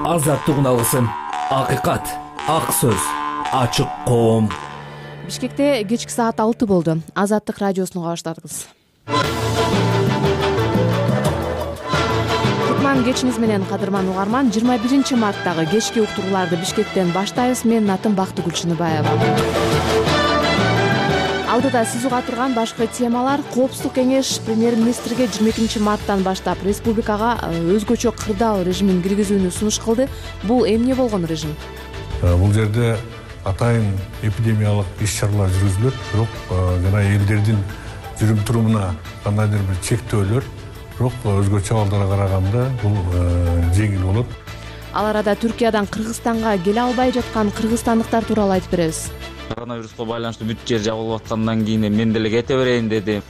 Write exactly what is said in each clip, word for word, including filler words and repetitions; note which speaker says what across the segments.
Speaker 1: азаттыгын алгысың. Акыйкат, ак сөз, ачык коом.
Speaker 2: Бишкекте кечки саат алты болду. Азаттык радиосуну баштадыңыз. Кутман кечиңиз менен, кадырман угарман. жыйырма биринчи марттагы кечки уктурууларды Бишкектен баштайбыз. Менин атым Бактыгүл Чыныбаева. Алдыда сиз уга турган башкы темалар: Коопсуздук кеңеш премьер-министрге жыйырма экинчи марттан баштап республикага өзгөчө кырдаал режимин киргизүүнү сунуш кылды. Бул эмне болгон режим?
Speaker 3: Бул жерде атайын эпидемиялык иш-чаралар жүргүзүлөт, бирок жана элдердин жүрүм турумуна кандайдыр бир чектөөлөр, бирок өзгөчө абалдарга караганда бул жеңил болот.
Speaker 2: Ал арада Түркиядан Кыргызстанга келе албай жаткан кыргызстандыктар тууралуу айтып беребиз.
Speaker 4: Коронавируска байланыштуу бүт жер жабылып аткандан кийин мен деле кете берейин деди.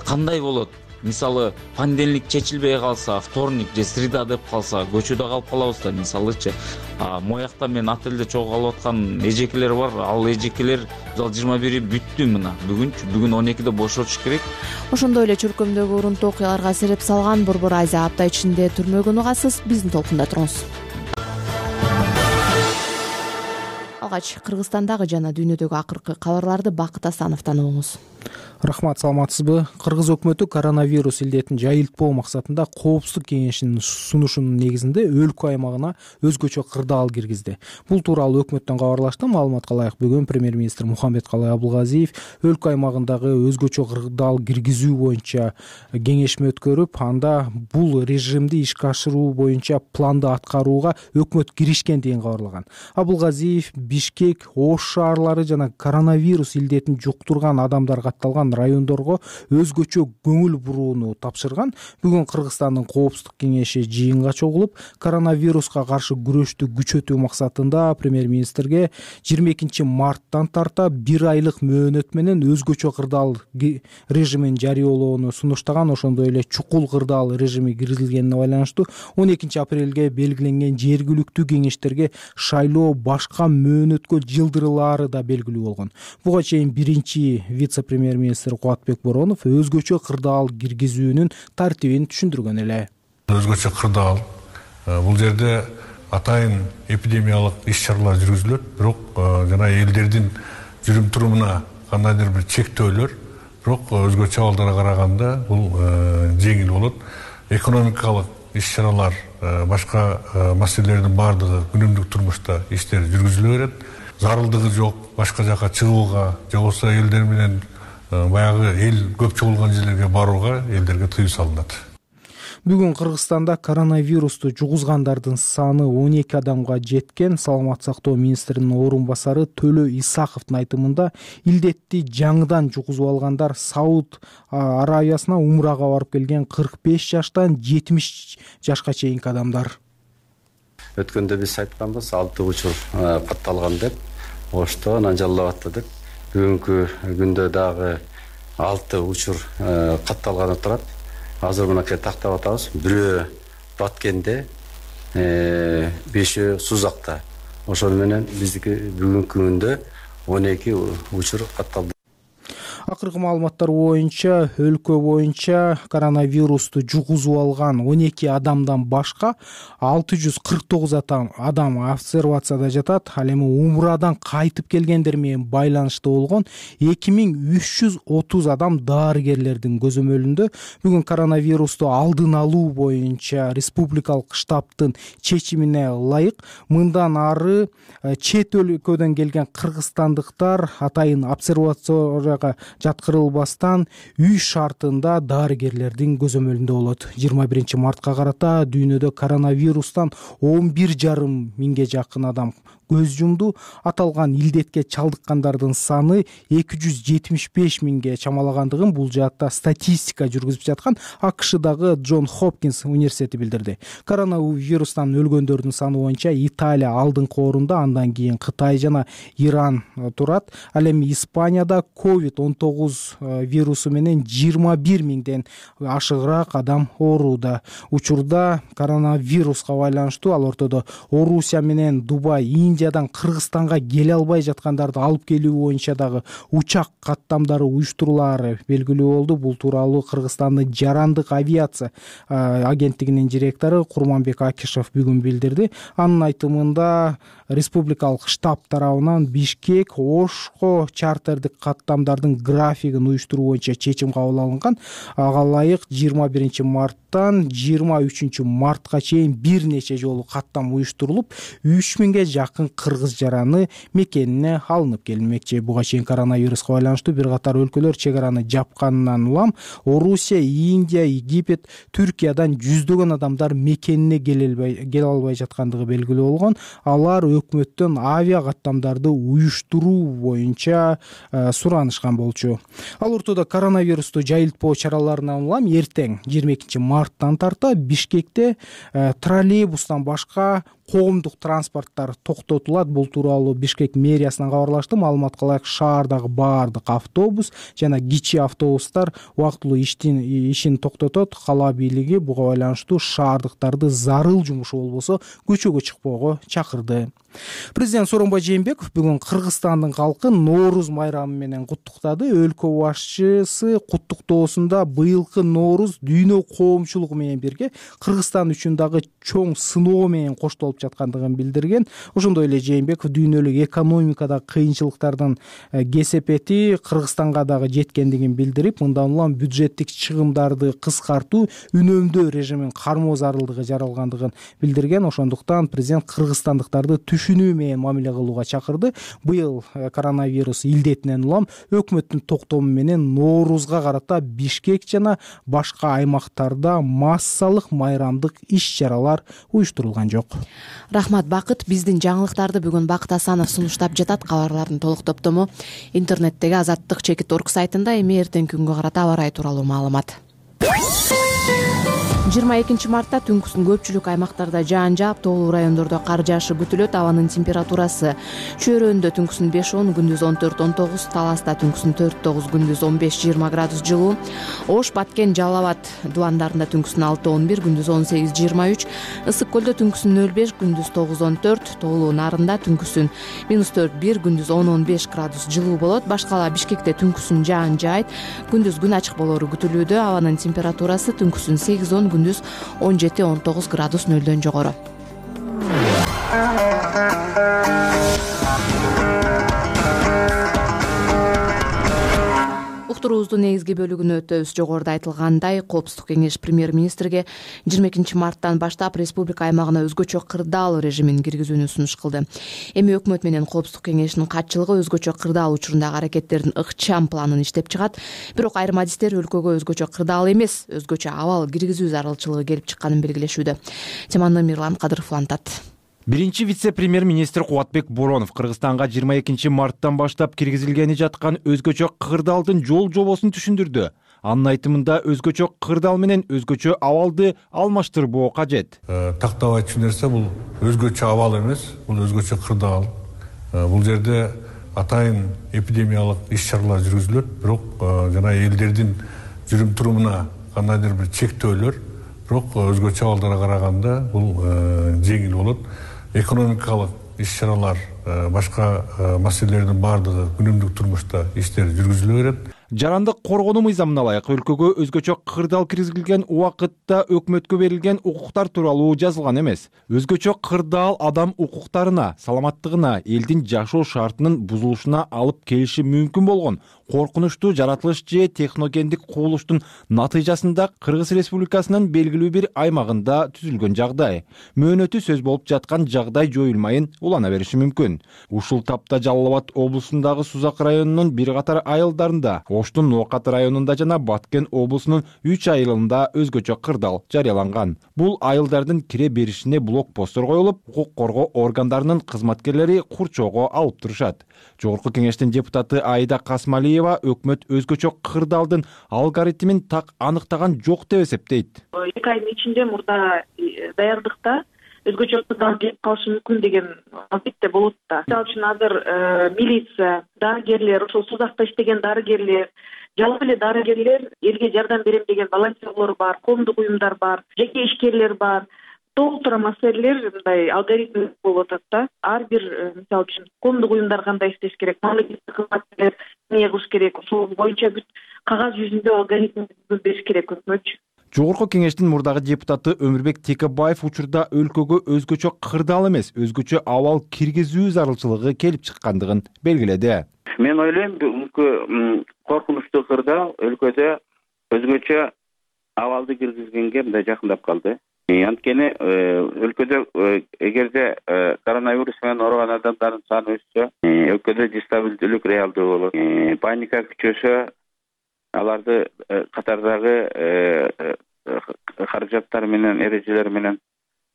Speaker 4: Кандай болот? Мисалы, понедельник чечилбей калса, вторник же среда деп калса, көчөдө калып калабыз да, мисалычы. Моякта мен отелде чогуу калып аткан эжекелер бар. Ал эжекелер мисалы жыйырма бири бүттү мына. Бүгүнчү, бүгүн он экиде бошотуш керек.
Speaker 2: Ошондой эле чөлкөмдөгү урунтуу окуяларга сереп салган Борбор Айза апта ичинде түрмөгөн угасыз. Биздин толкунда туруңуз. Алгач Кыргызстандагы жана дүйнөдөгү акыркы кабарларды Бакыт Асановдон угуңуз.
Speaker 5: Рахмат, саламатсызбы? Кыргыз өкмөтү коронавирус илдетин жайылтпоо максатында Коопсуздук кеңешинин сунушунун негизинде өлкө аймагына өзгөчө кырдаал киргизди. Бул тууралуу өкмөттөн кабарлашты. Маалыматка ылайык, бүгүн премьер-министр Мухамбеткалый Абылгазиев өлкө аймагындагы өзгөчө кырдаал киргизүү боюнча кеңешме өткөрүп, анда бул режимди ишке ашыруу боюнча планды аткарууга өкмөт киришкен деген кабарлаган. Абылгазиев Бишкек, Ош шаарлары жана коронавирус илдетин жуктурган адамдар катталган райондорго өзгөчө көңүл бурууну тапшырган. Бүгүн Кыргызстандын Коопсуздук кеңеши жыйынга чогулуп, коронавируска каршы күрөштү күчөтүү максатында премьер-министрге жыйырма экинчи марттан тарта бир айлык мөөнөт менен өзгөчө кырдаал режимин жарыялоону сунуштаган. Ошондой эле чукул кырдаал режими киргизилгенине байланыштуу он экинчи апрелге белгиленген жергиликтүү кеңештерге шайлоо башка мөөнөткө жылдырылаары да белгилүү болгон. Буга чейин биринчи вице-премьер-министр Кубатбек Боронов өзгөчө кырдаал киргизүүнүн тартибин түшүндүргөн эле.
Speaker 3: Өзгөчө кырдаал бул жерде атайын эпидемиялык иш-чаралар жүргүзүлөт, бирок жана элдердин жүрүм турумуна кандайдыр бир чектөөлөр, бирок өзгөчө абалдарга караганда бул жеңил болот. Экономикалык иш-чаралар, башка маселелердин баардыгы күнүмдүк турмушта иштер жүргүзүлө берет. Зарылдыгы жок башка жака чыгууга, же болбосо элдер менен баягы эл көп чогулган жерлерге барууга элдерге тыюу салынат.
Speaker 5: Бүгүн Кыргызстанда коронавирусту жугузгандардын саны он эки адамга жеткен. Саламат сактоо министринин орун басары Төлө Исаковдун айтымында илдетти жаңыдан жугузуп алгандар Сауд Арабиясына умрага барып келген кырк беш жаштан жетимиш жашка чейинки адамдар.
Speaker 6: Өткөндө биз айтканбыз, алты учур катталган деп, Ошто анан жаллап атты деп. Бүгүнкү күндө дагы алты учур катталганы турат. Азыр мынакей тактап атабыз. Бирөө Баткенде, бешөө Сузакта. Ошол менен биздики бүгүнкү күндө он эки учур катталды.
Speaker 5: Акыркы маалыматтар боюнча өлкө боюнча коронавирусту жугузуп алган он эки адамдан башка алты жүз кырк тогуз адам обсервацияда жатат. Ал эми умрадан кайтып келгендер менен байланышта болгон эки миң үч жүз отуз адам дарыгерлердин көзөмөлүндө. Бүгүн коронавирусту алдын алуу боюнча республикалык штабтын чечимине ылайык мындан ары чет өлкөдөн келген кыргызстандыктар атайын обсервацияга жаткырылбастан үй шартында дарыгерлердин көзөмөлүндө болот. жыйырма биринчи мартка карата дүйнөдө коронавирустан он бир жарым миңге жакын адам көз жумду. Аталган илдетке чалдыккандардын саны эки жүз жетимиш беш миңге чамалагандыгын бул жаатта статистика жүргүзүп жаткан АКШдагы Джон Хопкинс университети билдирди. Коронавирустан өлгөндөрдүн саны боюнча Италия алдыңкы орунда, андан кийин Кытай жана Иран турат. Ал эми Испанияда ковид он тогуз тогуз вирусу менен жыйырма бир миңден ашыгыраак адам ооруда. Учурда коронавируска байланыштуу ал ортодо Орусия менен Дубай, Индиядан Кыргызстанга келе албай жаткандарды алып келүү боюнча дагы учак каттамдары уюштурулаары белгилүү болду. Бул тууралуу Кыргызстандын жарандык авиация агенттигинин директору Курманбек Акишев бүгүн билдирди. Анын айтымында республикалык штаб тарабынан Бишкек, Ошко чартердик каттамдардын графигин уюштуруу боюнча чечим кабыл алынган. Ага ылайык жыйырма биринчи марттан жыйырма үчүнчү мартка чейин бир нече жолу каттам уюштурулуп, үч миңге жакын кыргыз жараны мекенине алынып келинмекчи. Буга чейин коронавируска байланыштуу бир катар өлкөлөр чек араны жапканынан улам Орусия, Индия, Египет, Түркиядан жүздөгөн адамдар мекенине келе албай жаткандыгы белгилүү болгон. Алар өкмөттөн авиа каттамдарды уюштуруу боюнча суранышкан болчу. Ал ортодо коронавирусту жайылтпоо чараларынан улам эртең жыйырма экинчи марттан тарта Бишкекте троллейбустан башка коомдук транспорттар токтотулат. Бул тууралуу Бишкек мэриясынан кабарлашты. Маалыматка ылайык шаардагы баардык автобус жана кичи автобустар убактылуу иштин ишин токтотот. Кала бийлиги буга байланыштуу шаардыктарды зарыл жумушу болбосо көчөгө чыкпоого чакырды. Президент Сооронбай Жээнбеков бүгүн Кыргызстандын калкын Нооруз майрамы менен куттуктады. Өлкө башчысы куттуктоосунда быйылкы Нооруз дүйнө коомчулугу менен бирге Кыргызстан үчүн дагы чоң сыноо менен коштолуп жаткандыгын билдирген. Ошондой эле Жээнбеков дүйнөлүк экономикадагы кыйынчылыктардын кесепети Кыргызстанга дагы жеткендигин билдирип, мындан улам бюджеттик чыгымдарды кыскартуу, үнөмдөө режимин кармоо зарылдыгы жаралгандыгын билдирген. Ошондуктан президент кыргызстандыктарды түшүнүү менен мамиле кылууга чакырды. Быйыл коронавирус илдетинен улам өкмөттүн токтому менен Ноорузга карата Бишкек жана башка аймактарда массалык майрамдык иш-чаралар уюштурулган жок.
Speaker 2: Рахмат, Бакыт. Биздин жаңылыктарды бүгүн Бакыт Асанов сунуштап жатат. Кабарлардын толук топтому интернеттеги азаттык чекит точка орг сайтында. Эми эртеңки күнгө карата аба ырайы тууралуу маалымат. жыйырма экинчи мартта түнкүсүн көпчүлүк аймактарда жаан жаап, тоолуу райондордо кар жаашы күтүлөт. Абанын температурасы Чөйрөндө түнкүсүн беш он, күндүз он төрт он тогуз, Таласта түнкүсүн төрт тогуз, күндүз он беш жыйырма градус жылуу, Ош, Баткен, Жалал Абад дубандарында түнкүсүн алты он бир, күндүз он сегиз жыйырма үч, Ысык көлдө түнкүсүн нөл беш, күндүз тогуз он төрт, Тоолуу Нарында түнкүсүн минус төрт бир, күндүз он он беш градус жылуу болот. Башкала Бишкекте түнкүсүн жаан жаайт, күндүз күн ачык болору күтүлүүдө. Абанын температурасы түнкүсүн сегиз он, күндүз он жети он тогуз градус нөлдөн жогору. Уктуруубуздун негизги бөлүгүнө өтөбүз. Жогоруда айтылгандай, Коопсуздук кеңеш премьер-министрге жыйырма экинчи марттан баштап республика аймагына өзгөчө кырдаал режимин киргизүүнү сунуш кылды. Эми өкмөт менен Коопсуздук кеңешинин катчылыгы өзгөчө кырдаал учурундагы аракеттердин ыкчам планын иштеп чыгат. Бирок айрым адистер өлкөгө өзгөчө кырдаал эмес, өзгөчө абал киргизүү зарылчылыгы келип чыкканын белгилешүүдө. Теманы Мирлан Кадыров улантат.
Speaker 7: Биринчи вице-премьер-министр Кубатбек Боронов Кыргызстанга жыйырма экинчи марттан баштап киргизилгени жаткан өзгөчө кырдаалдын жол жобосун түшүндүрдү. Анын айтымында өзгөчө кырдаал менен өзгөчө абалды алмаштырбоо кажет.
Speaker 3: Тактап айтчу нерсе бул өзгөчө абал эмес, бул өзгөчө кырдаал. Бул жерде атайын эпидемиялык иш-чаралар жүргүзүлөт, бирок жана элдердин жүрүм турумуна кандайдыр бир чектөөлөр, бирок өзгөчө абалдарга караганда бул жеңил болот. Экономикалык иш-чаралар, башка маселелердин баардыгы күнүмдүк турмушта иштер жүргүзүлө берет.
Speaker 7: Жарандык коргонуу мыйзамына ылайык өлкөгө өзгөчө кырдаал киргизилген убакытта өкмөткө берилген укуктар тууралуу жазылган эмес. Өзгөчө кырдаал адам укуктарына, саламаттыгына, элдин жашоо шартынын бузулушуна алып келиши мүмкүн болгон коркунучтуу жаратылыш же техногендик кубулуштун натыйжасында Кыргыз Республикасынын белгилүү бир аймагында түзүлгөн жагдай. Мөөнөтү сөз болуп жаткан жагдай жоюлмайын улана бериши мүмкүн. Ушул тапта Жалал Абад облусундагы Сузак районунун бир катар айылдарында, Оштун Ноокат районунда жана Баткен облусунун үч айылында өзгөчө кырдаал жарыяланган. Бул айылдардын кире беришине блокпосттор коюлуп, укук коргоо органдарынын кызматкерлери курчоого алып турушат. Жогорку кеңештин депутаты Айда Касмалиева өкмөт өзгөчө кырдаалдын алгоритмин так аныктаган жок деп эсептейт.
Speaker 8: эки айдын ичинде мурда даярдыкта өзгөчө кырдаал келип калышы мүмкүн деген албетте болот да. Мисалы үчүн азыр милиция, дарыгерлер, ошол сузакта иштеген дарыгерлер, жалпы эле дарыгерлер, элге жардам берем деген волонтерлор бар, коомдук уюмдар бар, жеке ишкерлер бар. Толтура маселелер мындай алгоритм болуп атат да. Ар бир мисалы үчүн коомдук уюмдар кандай иштеш керек, мамлекеттик кызматкерлер эмне кылыш керек, ошол боюнча бүт кагаз жүзүндө алгоритм бериш керек өкмөтчү.
Speaker 7: Жогорку кеңештин мурдагы депутаты Өмүрбек Текебаев учурда өлкөгө өзгөчө кырдаал эмес, өзгөчө абал киргизүү зарылчылыгы келип чыккандыгын белгиледи.
Speaker 9: Мен ойлойм, бүгүнкү коркунучтуу кырдаал өлкөдө өзгөчө абалды киргизгенге мындай жакындап калды. Анткени өлкөдө эгерде коронавирус менен ооруган адамдардын саны өссө, өлкөдө дестабилдүүлүк реалдуу болот. Паника күчөсө, аларды катардагы каражаттар менен, эрежелер менен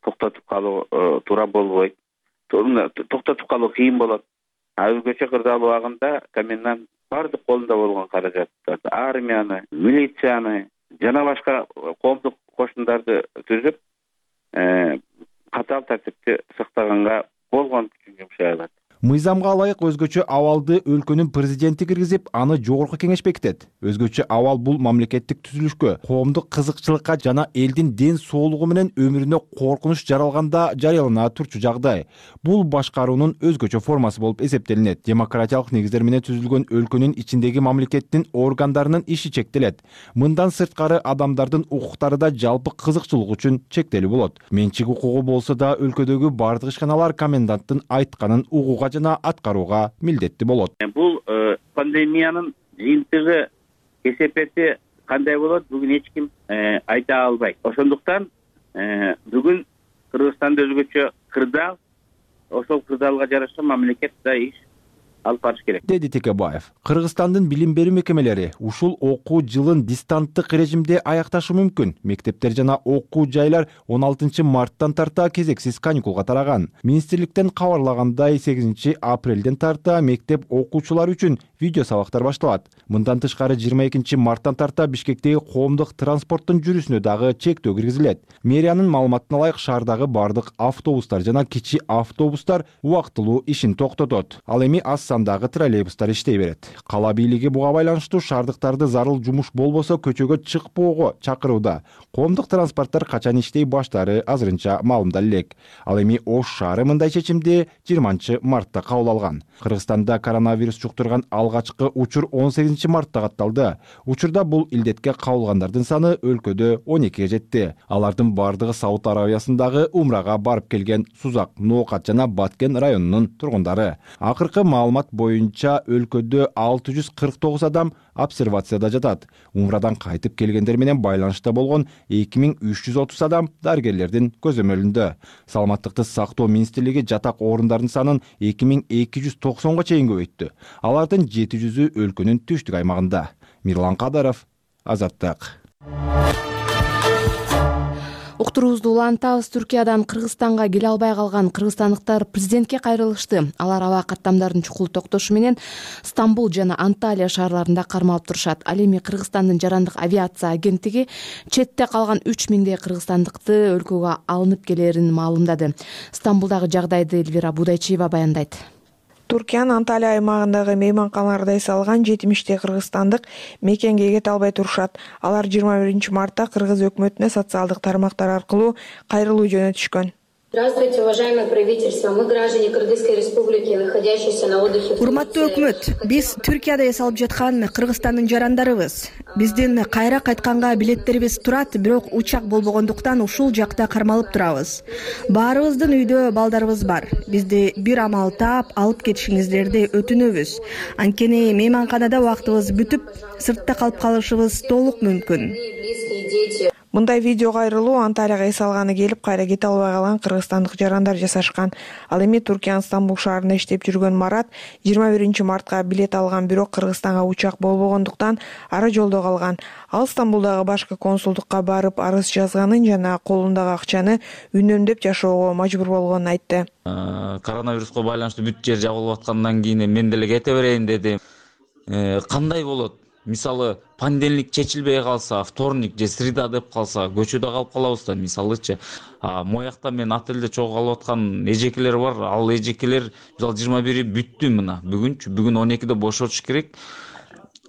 Speaker 9: токтотуп калуу туура болбойт. Токтотуп калуу кыйын болот. А өзгөчө кырдаал убагында комендант бардык колунда болгон каражаттарды, армияны, милицияны жана башка коомдук кошундарды түзүп, катаал тартипти сактаганга болгон күчүн жумшай алат.
Speaker 7: Мыйзамга ылайык өзгөчө абалды өлкөнүн президенти киргизип, аны жогорку кеңеш бекитет. Өзгөчө абал бул мамлекеттик түзүлүшкө, коомдук кызыкчылыкка жана элдин ден соолугу менен өмүрүнө коркунуч жаралганда жарыялана турчу жагдай. Бул башкаруунун өзгөчө формасы болуп эсептелинет. Демократиялык негиздер менен түзүлгөн өлкөнүн ичиндеги мамлекеттин органдарынын иши чектелет. Мындан сырткары адамдардын укуктары да жалпы кызыкчылык үчүн чектелүү болот. Менчик укугу болсо да өлкөдөгү бардык ишканалар коменданттын айтканын угууга жана аткарууга милдеттүү болот.
Speaker 9: Бул пандемиянын жыйынтыгы, кесепети кандай болот, бүгүн эч ким айта албайт. Ошондуктан бүгүн Кыргызстанда өзгөчө кырдаал, ошол кырдаалга жараша мамлекет да иш алып барыш керек,
Speaker 7: деди Текебаев. Кыргызстандын билим берүү мекемелери ушул окуу жылын дистанттык режимде аякташы мүмкүн. Мектептер жана окуу жайлар он алтынчы марттан тарта кезексиз каникулга тараган. Министрликтен кабарлагандай, сегизинчи апрелден тарта мектеп окуучулары үчүн видео сабактар башталат. Мындан тышкары жыйырма экинчи марттан тарта Бишкектеги коомдук транспорттун жүрүшүнө дагы чектөө киргизилет. Мэриянын маалыматына ылайык, шаардагы бардык автобустар жана кичи автобустар убактылуу ишин токтотот. Ал эми аз сандагы троллейбустар иштей берет. Кала бийлиги буга байланыштуу шаардыктарды зарыл жумуш болбосо көчөгө чыкпоого чакырууда. Коомдук транспорттор качан иштей баштаары азырынча маалымдала элек. Ал эми Ош шаары мындай чечимди жыйырманчы мартта кабыл алган. Кыргызстанда коронавирус жуктурган алгачкы учур он сегизинчи мартта катталды. Учурда бул илдетке кабылгандардын саны өлкөдө он экиге жетти. Алардын бардыгы Сауд Арабиясындагы умрага барып келген Сузак, Ноокат жана Баткен районунун тургундары. Акыркы маалымат боюнча өлкөдө алты жүз кырк тогуз адам обсервацияда жатат. Умрадан кайтып келгендер менен байланышта болгон эки миң үч жүз отуз адам дарыгерлердин көзөмөлүндө. Саламаттыкты сактоо министрлиги жатак орундардын санын эки миң эки жүз токсонго чейин көбөйттү. Алардын жети жүзү өлкөнүн түштүк аймагында. Мирлан Кадаров, Азаттык.
Speaker 2: Уктуруубузду улантабыз. Түркиядан Кыргызстанга келе албай калган кыргызстандыктар президентке кайрылышты. Алар аба каттамдардын чукул токтошу менен Стамбул жана Анталия шаарларында кармалып турушат. Ал эми Кыргызстандын жарандык авиация агенттиги четте калган үч миңдей кыргызстандыкты өлкөгө алынып келерин маалымдады. Стамбулдагы жагдайды Элвира Будайчиева баяндайт.
Speaker 10: Туркиянын Анталия аймагындагы мейманканаларда эс алган жетимиштей кыргызстандык мекенге кете албай турушат. Алар жыйырма биринчи мартта кыргыз өкмөтүнө социалдык тармактар аркылуу кайрылуу жөнөтүшкөн.
Speaker 11: Здравствуйте, уважаемое правительство. Мы граждане Кыргызской республики, находящиеся на отдыхе.
Speaker 12: Урматтуу өкмөт, биз Түркияда эс алып жаткан Кыргызстандын жарандарыбыз. Биздин кайра кайтканга билеттерибиз турат, бирок учак болбогондуктан ушул жакта кармалып турабыз. Баарыбыздын үйдө балдарыбыз бар. Бизди бир амал таап алып кетишиңиздерди өтүнөбүз. Анткени мейманканада убактыбыз бүтүп, сыртта калып калышыбыз толук мүмкүн.
Speaker 10: Мындай видео кайрылуу Анталияга эс алганы келип, кайра кете албай калган кыргызстандык жарандар жасашкан. Ал эми Туркиянын Стамбул шаарында иштеп жүргөн Марат жыйырма биринчи мартка билет алган, бирок Кыргызстанга учак болбогондуктан ара жолдо калган. Ал Стамбулдагы башкы консулдукка барып арыз жазганын жана колундагы акчаны үнөмдөп жашоого мажбур болгонун айтты.
Speaker 4: Коронавируска байланыштуу бүт жер жабылып аткандан кийин мен деле кете берейин дедим. Кандай болот? мисалы понедельник чечилбей калса, вторник же среда деп калса көчөдө калып калабыз да. Мисалычы моякта мен отелде чогуу калып аткан эжекелер бар. Ал эжекелер мисалы жыйырма бири бүттү мына. Бүгүнчү бүгүн он экиде бошотуш керек.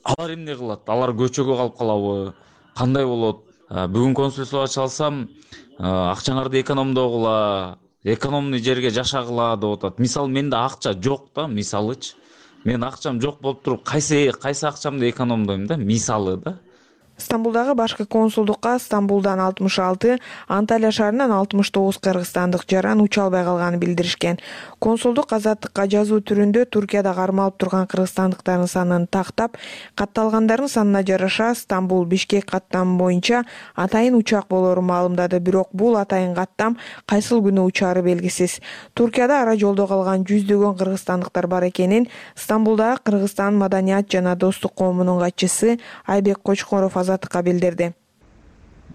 Speaker 4: Алар эмне кылат? Алар көчөгө калып калабы? Кандай болот? Бүгүн консульствого чалсам, акчаңарды экономдогула, экономный жерге жашагыла деп атат. Мисалы менде акча жок да, мисалычы. Мен акчам жок болуп туруп, кайсы кайсы акчамды экономдойм да, мисалы да.
Speaker 10: Стамбулдагы башкы консулдукка Стамбулдан алтымыш алты, Анталия шаарынан алтымыш тогуз кыргызстандык жаран уча албай калганын билдиришкен. Консулдук азаттыкка жазуу түрүндө Туркияда кармалып турган кыргызстандыктардын санын тактап, катталгандардын санына жараша Стамбул Бишкек каттамы боюнча атайын учак болорун маалымдады. Бирок бул атайын каттам кайсыл күнү учаары белгисиз. Туркияда ара жолдо калган жүздөгөн кыргызстандыктар бар экенин Стамбулдагы Кыргызстан маданият жана достук коомунун катчысы Айбек Кочкоров азаттыкка билдирди.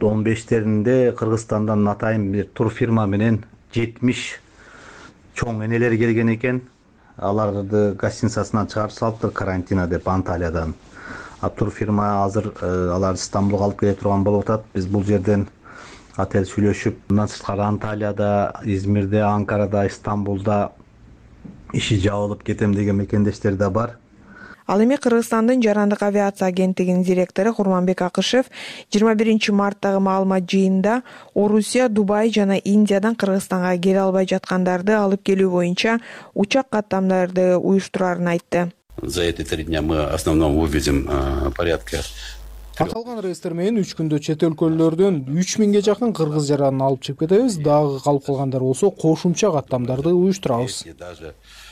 Speaker 13: он бештеринде Кыргызстандан атайын бир турфирма менен жетимиш чоң энелер келген экен. Аларды гостиницасынан чыгарып салыптыр карантина деп Анталиядан. А турфирма азыр аларды Стамбулга алып келе турган болуп атат. Биз бул жерден отель сүйлөшүп, мындан сырткары Анталияда, Измирде, Анкарада, Стамбулда иши жабылып кетем деген мекендештер да бар.
Speaker 10: Ал эми Кыргызстандын жарандык авиация агенттигинин директору Курманбек Акышев жыйырма биринчи марттагы маалымат жыйынында Орусия, Дубай жана Индиядан Кыргызстанга келе албай жаткандарды алып келүү боюнча учак каттамдарды уюштурарын айтты.
Speaker 14: За эти три дня мы в основном вывезем порядка.
Speaker 5: Аталган рейстер менен үч күндө чет өлкөлөрдөн үч миңге жакын кыргыз жаранын алып чыгып кетебиз. Дагы калып калгандар болсо кошумча каттамдарды уюштурабыз.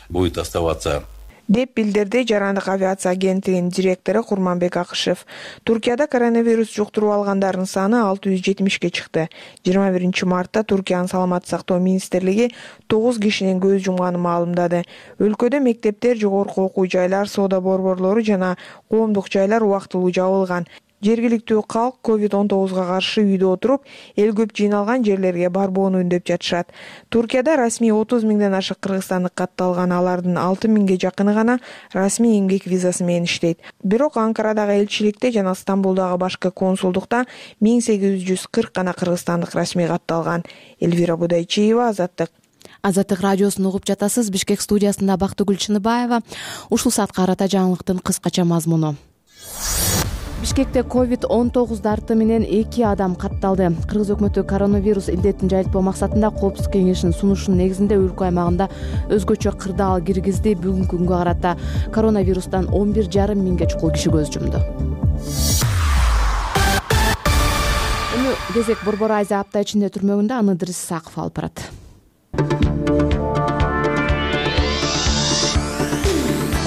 Speaker 14: Будет оставаться
Speaker 10: деп билдирди жарандык авиация агенттигинин директору Курманбек Акышев. Туркияда коронавирус жуктуруп алгандардын саны алты жүз жетимишке чыкты. жыйырма биринчи мартта Туркиянын саламаттык сактоо министрлиги тогуз кишинин көз жумганын маалымдады. Өлкөдө мектептер, жогорку окуу жайлар, соода борборлору жана коомдук жайлар убактылуу жабылган. Жергиликтүү калк ковид он тогузга каршы үйдө отуруп, эл көп жыйналган жерлерге барбоону үндөп жатышат. Туркияда расмий отуз миңден ашык кыргызстандык катталган, алардын алты миңге жакыны гана расмий эмгек визасы менен иштейт. Бирок Анкарадагы элчиликте жана Стамбулдагы башкы консулдукта миң сегиз жүз кырк гана кыргызстандык расмий катталган. Элвира Будайчиева, Азаттык.
Speaker 2: Азаттык радиосун угуп жатасыз. Бишкек студиясында Бактыгүл Чыныбаева. Ушул саатка карата жаңылыктын кыскача мазмуну. Бишкекте ковид он тогуз дарты менен эки адам катталды. Кыргыз өкмөтү коронавирус илдетин жайылтпоо максатында Коопсуздук кеңешинин сунушунун негизинде өлкө аймагында өзгөчө кырдаал киргизди. Бүгүнкү күнгө карата коронавирустан он бир жарым миңге чукул киши көз жумду. Эми кезек Борбор Азия апта ичинде түрмөгүндө аны Идрис Исаков алып барат.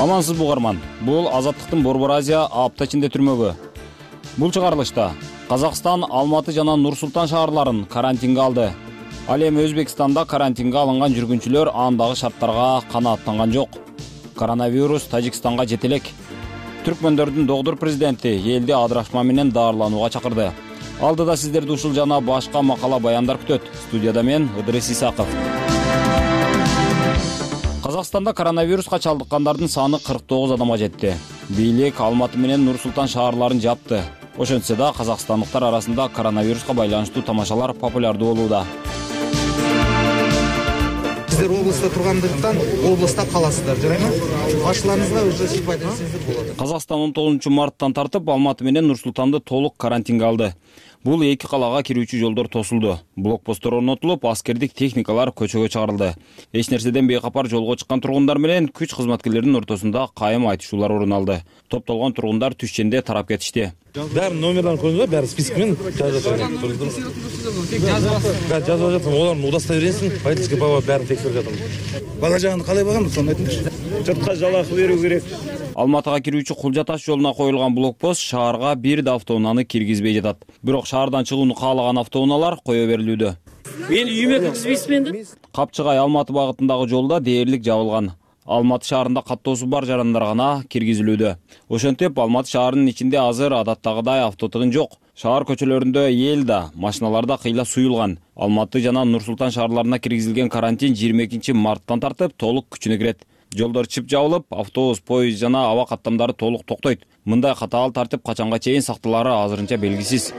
Speaker 15: Амансызбы угарман. Бул Азаттыктын Борбор Азия апта ичинде түрмөгү. Бул чыгарылышта Казакстан, Алматы жана Нур Султан шаарларын карантинге алды. Ал эми Өзбекстанда карантинге алынган жүргүнчүлөр андагы шарттарга канааттанган жок. Коронавирус Тажикстанга жете элек. Түркмөндөрдүн догдур президенти элди адырашма менен даарыланууга чакырды. Алдыда сиздерди ушул жана башка макала баяндар күтөт. Студияда мен Идрис Исаков. Казакстанда коронавируска чалдыккандардын саны кырк тогуз адамга жетти. Бийлик Алматы менен Нур Султан шаарларын жапты. Ошентсе да казакстандыктар арасында коронавируска байланыштуу тамашалар популярдуу болууда.
Speaker 16: Сиздер облустта тургандыктан облустта каласыздар, жарайбы? Башчыларыңызга уже сипат этсеңиздер болот.
Speaker 15: Казакстан он тогузунчу марттан тартып Алматы менен Нур Султанды толук карантинге алды. Бул эки калаага кирүүчү жолдор тосулду. Блокпосттор орнотулуп, аскердик техникалар көчөгө чыгарылды. Эч нерседен бейкапар жолго чыккан тургундар менен күч кызматкерлеринин ортосунда кайым айтышуулар орун алды. Топтолгон тургундар түшченде тарап кетишти.
Speaker 17: Бәрі номерларын көрдіңіз бәрі спискімен жазып жатыр. Бәрі жазып жатыр. Олардың удостоверениесін водительский права бәрін тексеріп жатыр.
Speaker 16: Бала жағын қалай бағамыз, соны айтыңызшы.
Speaker 17: Жұртқа жалақы беру керек.
Speaker 15: Алматыга кирүүчү Кулжа таш жолуна коюлган блокпост шаарга бир да автоунааны киргизбей жатат. Бирок шаардан чыгууну каалаган автоунаалар кое берилүүдө.
Speaker 17: Мен үйүмө киргизбейсизби энди?
Speaker 15: Капчыгай Алматы багытындагы жолда дээрлик жабылган. Алматы шаарында каттоосу бар жарандар гана киргизилүүдө. Ошентип Алматы шаарынын ичинде азыр адаттагыдай автотыгын жок. Шаар көчөлөрүндө эл да, машиналар да кыйла суюлган. Алматы жана Нур Султан шаарларына киргизилген карантин жыйырма экинчи марттан тартып толук күчүнө кирет. Жолдор чып жабылып, автобус, поезд жана аба каттамдары толук токтойт. Мындай катаал тартип качанга чейин сакталаары азырынча белгисиз.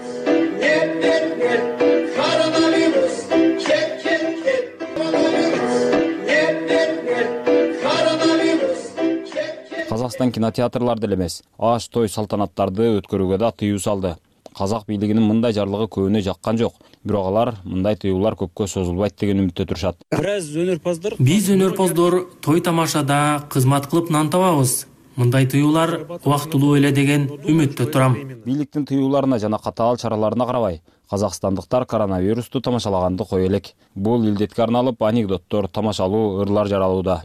Speaker 15: Казакстан кинотеатрларды эле эмес, аш той салтанаттарды өткөрүүгө да тыюу салды. Казак бийлигинин мындай жарлыгы көбүнө жаккан жок. Бирок алар мындай тыюулар көпкө созулбайт деген үмүттө турушат.
Speaker 18: Биз өнөрпоздор той тамашада кызмат кылып нан табабыз. Мындай тыюулар убактылуу эле деген үмүттө турам.
Speaker 15: Бийликтин тыюуларына жана катаал чараларына карабай, казакстандыктар коронавирусту тамашалаганды кое элек. Бул илдетке арналып анекдоттор, тамашалуу ырлар жаралууда.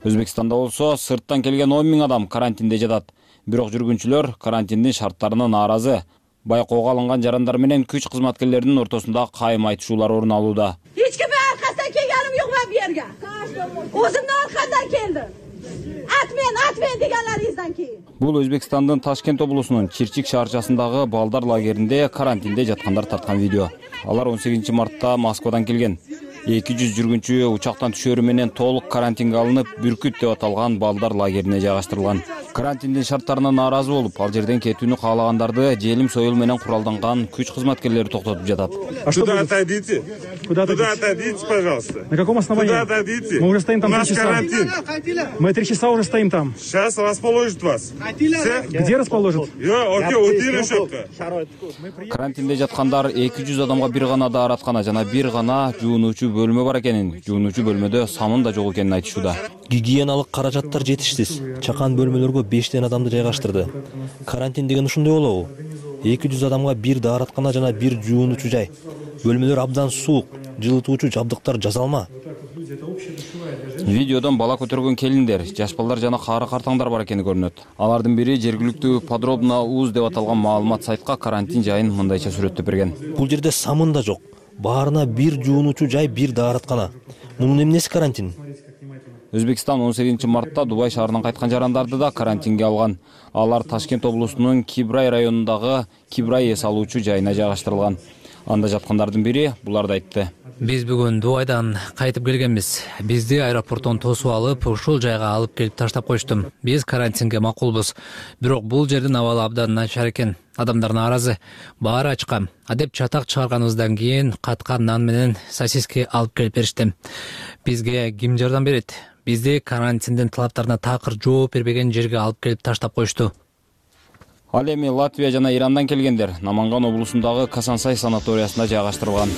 Speaker 15: Өзбекстанда болсо сырттан келген он миң адам карантинде жатат. Бирок жүргүнчүлөр карантиндин шарттарына нааразы. Байкоого алынган жарандар менен күч кызматкерлеринин ортосунда кайым айтышуулар орун алууда.
Speaker 19: Эч кимге аркасынан келгеним жок мен бу жерге. Өзүмдүн аркамдан келди. Атмен, атмен дегенлеринен кийин.
Speaker 15: Бул Өзбекстандын Ташкент облусунун Чирчик шаарчасындагы балдар лагеринде карантинде жаткандар тарткан видео. Алар он сегизинчи мартта Москвадан келген. эки жүз жүргүнчү учактан түшөрү менен толук карантинге алынып, Бүркүт деп аталган балдар лагерине жайгаштырылган. Карантиндин шарттарына нааразы болуп, ал жерден кетүүнү каалагандарды желим союл менен куралданган күч кызматкерлери токтотуп жатат.
Speaker 20: Туда отойдите. Куда отойдите, пожалуйста.
Speaker 21: На каком основании?
Speaker 20: Туда отойдите.
Speaker 21: Мы уже стоим там три часа.
Speaker 20: Карантин.
Speaker 21: Мы три часа уже стоим там.
Speaker 20: Сейчас расположит вас.
Speaker 21: Где расположит?
Speaker 15: Карантинде жаткандар эки жүз адамга бир гана даараткана жана бир гана жуунуучу бөлмө бар экенин, жуунуучу бөлмөдө самын да жок экенин айтышууда.
Speaker 22: Гигиеналык каражаттар жетишсиз. Чакан бөлмөлөргө бештен адамды жайгаштырды. Карантин деген ушундай болобу? эки жүз адамга бир даараткана жана бир жуунуучу жай. Бөлмөлөр абдан суук, жылытуучу жабдыктар жасалма.
Speaker 15: Видеодон бала көтөргөн келиндер, жаш балдар жана кары картаңдар бар экени көрүнөт. Алардын бири жергиликтүү подробно уз деп аталган маалымат сайтка карантин жайын мындайча сүрөттөп берген.
Speaker 22: Бул жерде самын да жок. Баарына бир жуунуучу жай, бир даараткана. Мунун эмнеси карантин?
Speaker 15: Өзбекстан он сегизинчи мартта Дубай шаарынан кайткан жарандарды да карантинге алган. Алар Ташкент облусунун Кибрай районундагы Кибрай эс алуучу жайына жайгаштырылган. Анда жаткандардын бири буларды айтты.
Speaker 1: Биз бүгүн Дубайдан кайтып келгенбиз. Бизди аэропорттон тосуп алып, ушул жайга алып келип таштап коюшту. Биз карантинге макулбуз. Бирок бул жердин абалы абдан начар экен. Адамдар нааразы. Баары ачка. Адеп чатак чыгарганыбыздан кийин каткан нан менен сосиски алып келип беришти. Бизге ким жардам берет? Бизди карантиндин талаптарына такыр жооп бербеген жерге алып келип таштап коюшту.
Speaker 15: Ал эми Латвия жана Ирандан келгендер Наманган облусундагы Касансай санаториясына жайгаштырылган.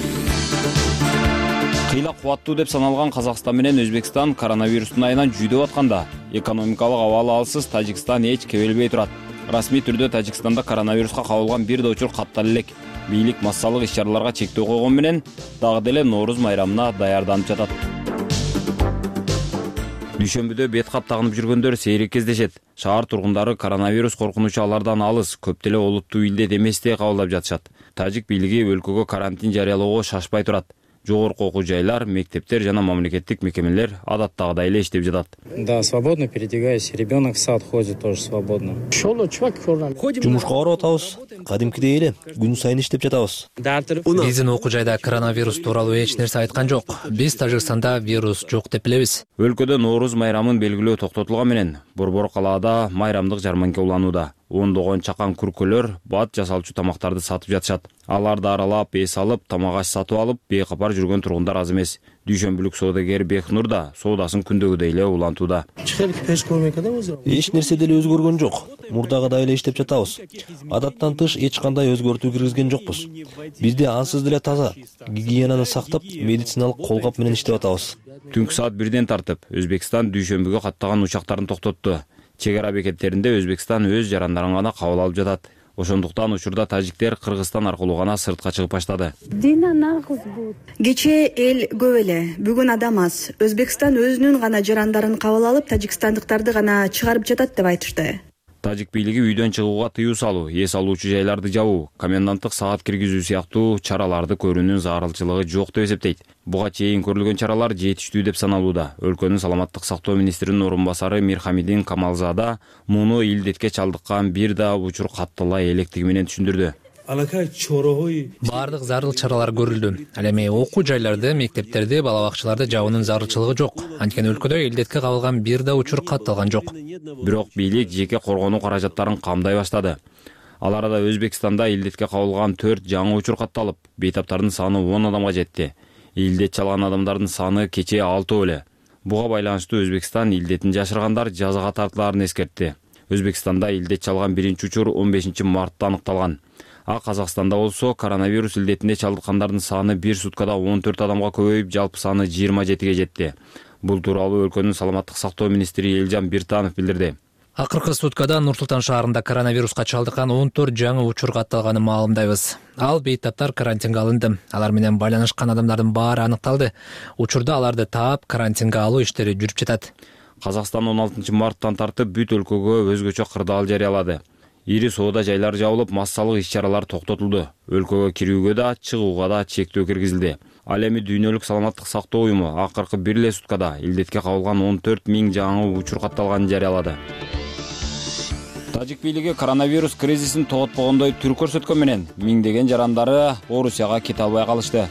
Speaker 15: Кыйла кубаттуу деп саналган Казакстан менен Өзбекстан коронавирустун айынан жүйдөп атканда, экономикалык абалы алсыз Тажикстан эч кебелбей турат. Расмий түрдө Тажикстанда коронавируска кабылган бир да учур каттала элек. Бийлик массалык иш-чараларга чектөө койгон менен дагы деле Нооруз майрамына даярданып жатат. Дүйшөмбүдө бет кап тагынып жүргөндөр сейрек кездешет. Шаар тургундары коронавирус коркунучу алардан алыс, көп деле олуттуу илдет эместей кабылдап жатышат. Тажик бийлиги өлкөгө карантин жарыялоого шашпай турат. Жогорку окуу жайлар, мектептер жана мамлекеттик мекемелер адаттагыдай эле иштеп жатат.
Speaker 23: Да, свободно передвигаюсь. Ребенок в сад ходит тоже свободно.
Speaker 22: Жумушка барып атабыз. Кадимкидей эле күн сайын иштеп жатабыз.
Speaker 1: Биздин окуу жайда коронавирус тууралуу эч нерсе айткан жок. Биз Тажикстанда вирус жок деп билебиз.
Speaker 15: Өлкөдө Нооруз майрамын белгилөө токтотулган менен Борбор калаада майрамдык жарманка уланууда. Ондогон чакан күркөлөр бат жасалчу тамактарды сатып жатышат. Аларды аралап, эс алып, тамак аш сатып алып, бейкапар жүргөн тургундар аз эмес. Дүйшөмбүлүк соодагер Бекнур да соодасын күндөгүдөй эле улантууда.
Speaker 22: Эч нерсе деле өзгөргөн жок. Мурдагыдай эле иштеп жатабыз. Адаттан тыш эч кандай өзгөртүү киргизген жокпуз. Бизде ансыз деле таза, гигиенаны сактап, медициналык колгап менен иштеп атабыз.
Speaker 15: Түнкү саат бирден тартып, Өзбекстан дүйшөмбүгө каттаган учактарын токтотту. Чек ара бекеттеринде Өзбекстан өз жарандарын гана кабыл алып жатат. Ошондуктан учурда тажиктер Кыргызстан аркылуу гана сыртка чыгып баштады.
Speaker 12: Кечээ эл көп эле, бүгүн адам аз. Өзбекстан өзүнүн гана жарандарын кабыл алып, тажикстандыктарды гана чыгарып жатат деп айтышты.
Speaker 15: Тажик бийлиги үйдөн чыгууга тыюу салуу, эс алуучу жайларды жабуу, коменданттык саат киргизүү сыяктуу чараларды көрүүнүн зарылчылыгы жок деп эсептейт. Буга чейин көрүлгөн чаралар жетиштүү деп саналууда. Өлкөнүн саламаттык сактоо министринин орун басары Мирхамидин Камалзада муну илдетке чалдыккан бир да учур каттала электиги менен түшүндүрдү.
Speaker 1: Баардык зарыл чаралар көрүлдү. Ал эми окуу жайларды, мектептерди, бала бакчаларды жабуунун зарылчылыгы жок. Анткени өлкөдө элдетке кабылган бир да учур катталган жок.
Speaker 15: Бирок бийлик жеке коргонуу каражаттарын камдай баштады. Ал арада Өзбекстанда илдетке кабылган төрт жаңы учур катталып, бейтаптардын саны он адамга жетти. Илдет чалган адамдардын саны кечээ алты эле. Буга байланыштуу Өзбекстан илдетин жашыргандар жазага тартылаарын эскертти. Өзбекстанда илдет чалган биринчи учур он бешинчи мартта аныкталган. А Казакстанда болсо коронавирус илдетине чалдыккандардын саны бир суткада он төрт адамга көбөйүп, жалпы саны жыйырма жетиге жетти. Бул тууралуу өлкөнүн саламаттык сактоо министри Элжан Биртанов билдирди.
Speaker 1: Акыркы суткада Нур-Султан шаарында коронавируска чалдыккан он төрт жаңы учур катталганын маалымдайбыз. Ал бейтаптар карантинге алынды. Алар менен байланышкан адамдардын баары аныкталды. Учурда аларды таап, карантинге алуу иштери жүрүп жатат.
Speaker 15: Казакстан он алтынчы марттан тартып бүт өлкөгө өзгөчө кырдаал жарыялады. Ири соода жайлары жабылып, массалык иш-чаралар токтотулду. Өлкөгө кирүүгө да, чыгууга да чектөө киргизилди. Ал эми Дүйнөлүк саламаттык сактоо уюму акыркы бир эле суткада илдетке кабылган он төрт миң жаңы учур катталганын жарыялады. Тажик бийлиги коронавирус кризисин тоготпогондой түр көрсөткөн менен миңдеген жарандары Орусияга кете албай калышты.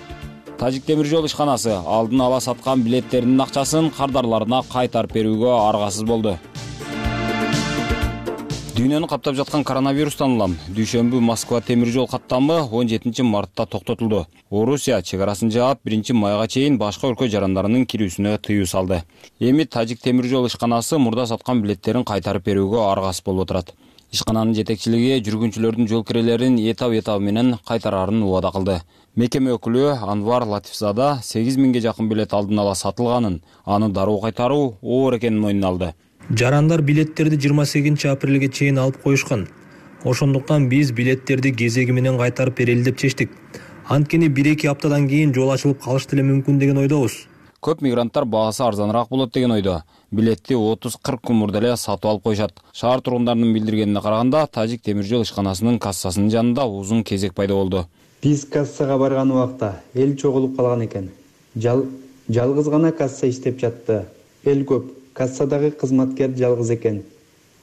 Speaker 15: Тажик темир жол ишканасы алдын ала саткан билеттеринин акчасын кардарларына кайтарып берүүгө аргасыз болду. Дүйнөнү каптап жаткан коронавирустан улам дүйшөмбү Москва темир жол каттамы он жетинчи мартта токтотулду. Орусия чегарасын жаап, биринчи майга чейин башка өлкө жарандарынын кирүүсүнө тыюу салды. Эми Тажик темир жол ишканасы мурда саткан билеттерин кайтарып берүүгө аргасыз болуп отурат. Ишкананын жетекчилиги жүргүнчүлөрдүн жол кирелерин этап-этап менен кайтарарын убада кылды. Мекеме өкүлү Анвар Латифзада сегиз миңге жакын билет алдын ала сатылганын, аны дароо кайтаруу оор экенин мойнуна алды.
Speaker 22: Жарандар билеттерди жыйырма сегизинчи апрелге чейин алып коюшкан. Ошондуктан биз билеттерди кезеги менен кайтарып берели деп чечтик. Анткени бир-эки аптадан кийин жол ачылып калышы деле мүмкүн деген ойдобуз.
Speaker 15: Көп мигранттар баасы арзаныраак болот деген ойдо. Билетти отуз кырк күн мурда эле сатып алып коюшат. Шаар тургундарынын билдиргенине караганда, Тажик темир жол ишканасынын кассасынын жанында узун кезек пайда болду.
Speaker 3: Биз кассага барган убакта эл чогулуп калган экен. Жал жалгыз гана касса иштеп жатты. Эл көп. Кассадагы кызматкер жалгыз экен.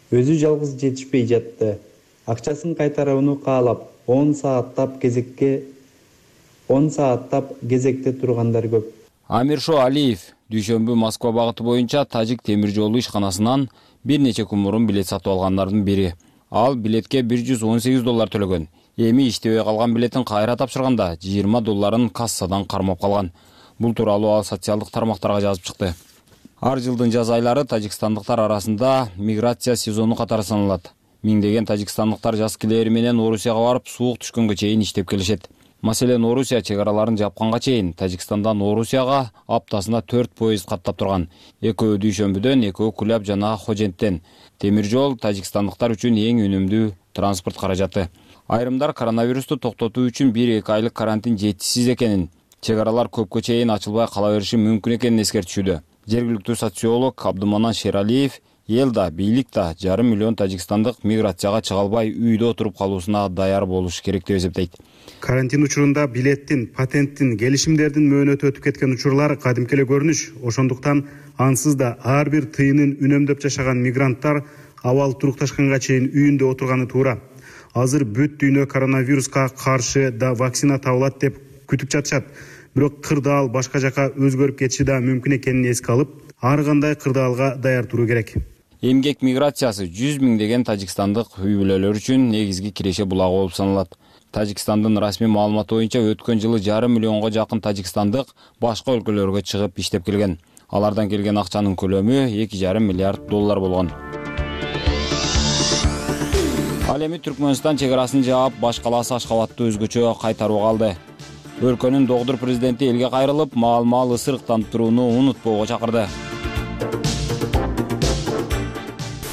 Speaker 3: Өзү жалгыз жетишпей жатты. Акчасын кайтарууну каалап, он сааттап кезекке он сааттап кезекте тургандар көп.
Speaker 15: Амиршо Алиев дүйшөмбү Москва багыты боюнча Тажик темир жолу ишканасынан бир нече күн мурун билет сатып алгандардын бири. Ал билетке бир жүз он сегиз доллар төлөгөн. Эми иштебей калган билетин кайра тапшырганда жыйырма долларын кассадан кармап калган. Бул тууралуу ал социалдык тармактарга жазып чыкты. Ар жылдын жаз айлары тажикстандыктар арасында миграция сезону катары саналат. Миңдеген тажикстандыктар жаз килери менен Орусияга барып, суук түшкөнгө чейин иштеп келишет. Маселен, Орусия чегараларын жапканга чейин Тажикстандан Орусияга аптасына төрт поезд каттап турган. Экөө дүйшөмбүдөн, экөө Куляб жана Хоженттен. Темир жол тажикстандыктар үчүн эң үнөмдүү транспорт каражаты. Айрымдар коронавирусту токтотуу үчүн бир-эки айлык карантин жетишсиз экенин, чегаралар көпкө чейин ачылбай кала бериши мүмкүн экенин эскертишүүдө. Жергиликтүү социолог Абдуманан Шералиев эл да, бийлик да жарым миллион тажикстандык миграцияга чыга албай үйдө отуруп калуусуна даяр болуш керек деп эсептейт.
Speaker 21: Карантин учурунда билеттин, патенттин, келишимдердин мөөнөтү өтүп кеткен учурлар кадимки эле көрүнүш. Ошондуктан ансыз да ар бир тыйынын үнөмдөп жашаган мигранттар абал турукташканга чейин үйүндө отурганы туура. Азыр бүт дүйнө коронавируска каршы да вакцина табылат деп күтүп жатышат. Бирок кырдаал башка жака өзгөрүп кетиши да мүмкүн экенин эске алып, ар кандай кырдаалга даяр туруу керек.
Speaker 15: Эмгек миграциясы жүз миңдеген тажикстандык үй бүлөлөр үчүн негизги киреше булагы болуп саналат. Тажикстандын расмий маалыматы боюнча өткөн жылы жарым миллионго жакын тажикстандык башка өлкөлөргө чыгып иштеп келген. Алардан келген акчанын көлөмү эки жарым миллиард доллар болгон. Ал эми Түркмөнстан чегарасын жаап, баш калаасы Ашкабадты өзгөчө кайтарууга алды. Өлкөнүн догдур президенти элге кайрылып, маал-маал ысырыктанып турууну унутпоого чакырды.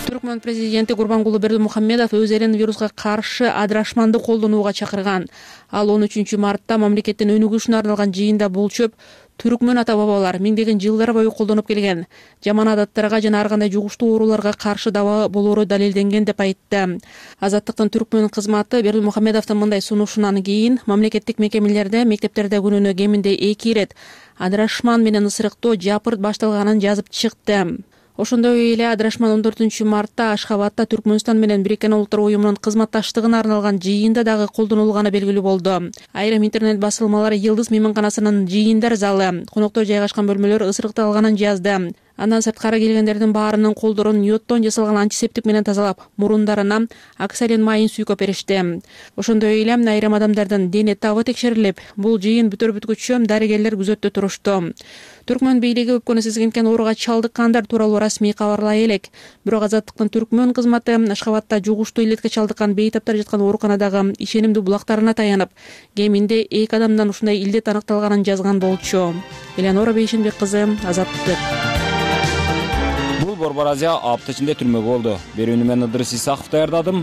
Speaker 6: Түркмөн президенти Гурбангулы Бердимухамедов өз элин вируска каршы адырашманды колдонууга чакырган. Ал он үчүнчү мартта мамлекеттин өнүгүшүнө арналган жыйында бул чөп түркмөн ата бабалар миңдеген жылдар бою колдонуп келген жаман адаттарга жана ар кандай жугуштуу ооруларга каршы дава болоору далилденген деп айтты. Азаттыктын түркмөн кызматы Бердимухамедовдун мындай сунушунан кийин мамлекеттик мекемелерде, мектептерде күнүнө кеминде эки ирет адырашман менен ысырыктоо жапырт башталганын жазып чыкты. Ошондой эле Адырашман он төртүнчү мартта Ашхабадда Түркмөнстан менен Бириккен Улуттар уюмунун кызматташтыгына арналган жыйында дагы колдонулганы белгилүү болду. Айрым интернет басылмалар Йылдыз мейманканасынын жыйындар залы, коноктор жайгашкан бөлмөлөр ысырыкталганын жазды. Андан сырткары келгендердин баарынын колдорун йоддон жасалган антисептик менен тазалап, мурундарына оксалин майын сүйкөп беришти. Ошондой эле айрым адамдардын дене табы текшерилип, бул жыйын бүтөр бүткүчө дарыгерлер күзөттө турушту. Түркмөн бийлиги өпкөнү сезген ооруга чалдыккандар тууралуу расмий кабарлай элек. Бирок Азаттыктын Түркмөн кызматы Ашхабадда жугуштуу илетке чалдыккан бейтаптар жаткан ооруканадагы ишенимдүү булактарына таянып, кеминде эки адамдан ушундай илдет аныкталганын жазган болчу. Элеонора Бейшенбек кызы, Азаттык.
Speaker 15: Бул Борбор Азия апта ичинде түрмөгө болду. Берүүнү мен Ыдырыс Исаков даярдадым.